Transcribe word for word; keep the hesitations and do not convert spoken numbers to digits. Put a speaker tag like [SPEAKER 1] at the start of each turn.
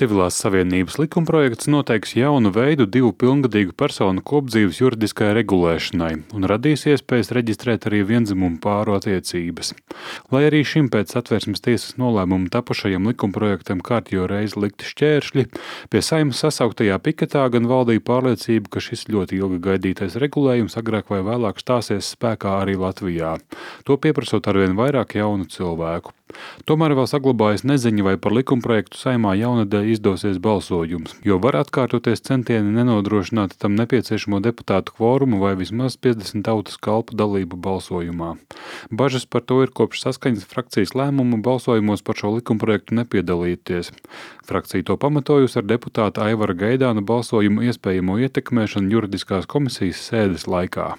[SPEAKER 1] Civilās savienības likumprojekts noteiks jaunu veidu divu pilngadīgu personu kopdzīves juridiskai regulēšanai un radīs iespējas reģistrēt arī viendzimumu pāru attiecības. Lai arī šim pēc Satversmes tiesas nolēmuma tapušajam likumprojektam kārtējo reizi likti šķēršļi, pie Saeimas sasauktajā piketā gan valdīja pārliecība, ka šis ļoti ilgi gaidītais regulējums agrāk vai vēlāk stāsies spēkā arī Latvijā, to pieprasot arvien vairāk jaunu cilvēku. Tomēr vēl saglabājas neziņa, vai par likumprojektu Saeimā jaunadēļ izdosies balsojums, jo var atkārtoties centieni nenodrošināt tam nepieciešamo deputātu kvorumu vai vismaz piecdesmit tautas kalpu dalību balsojumā. Bažas par to ir kopš Saskaņas frakcijas lēmumu balsojumos par šo likumprojektu nepiedalīties. Frakcija to pamatojusi ar deputāta Aivara Gaidāna balsojumu iespējamo ietekmēšanu juridiskās komisijas sēdes laikā.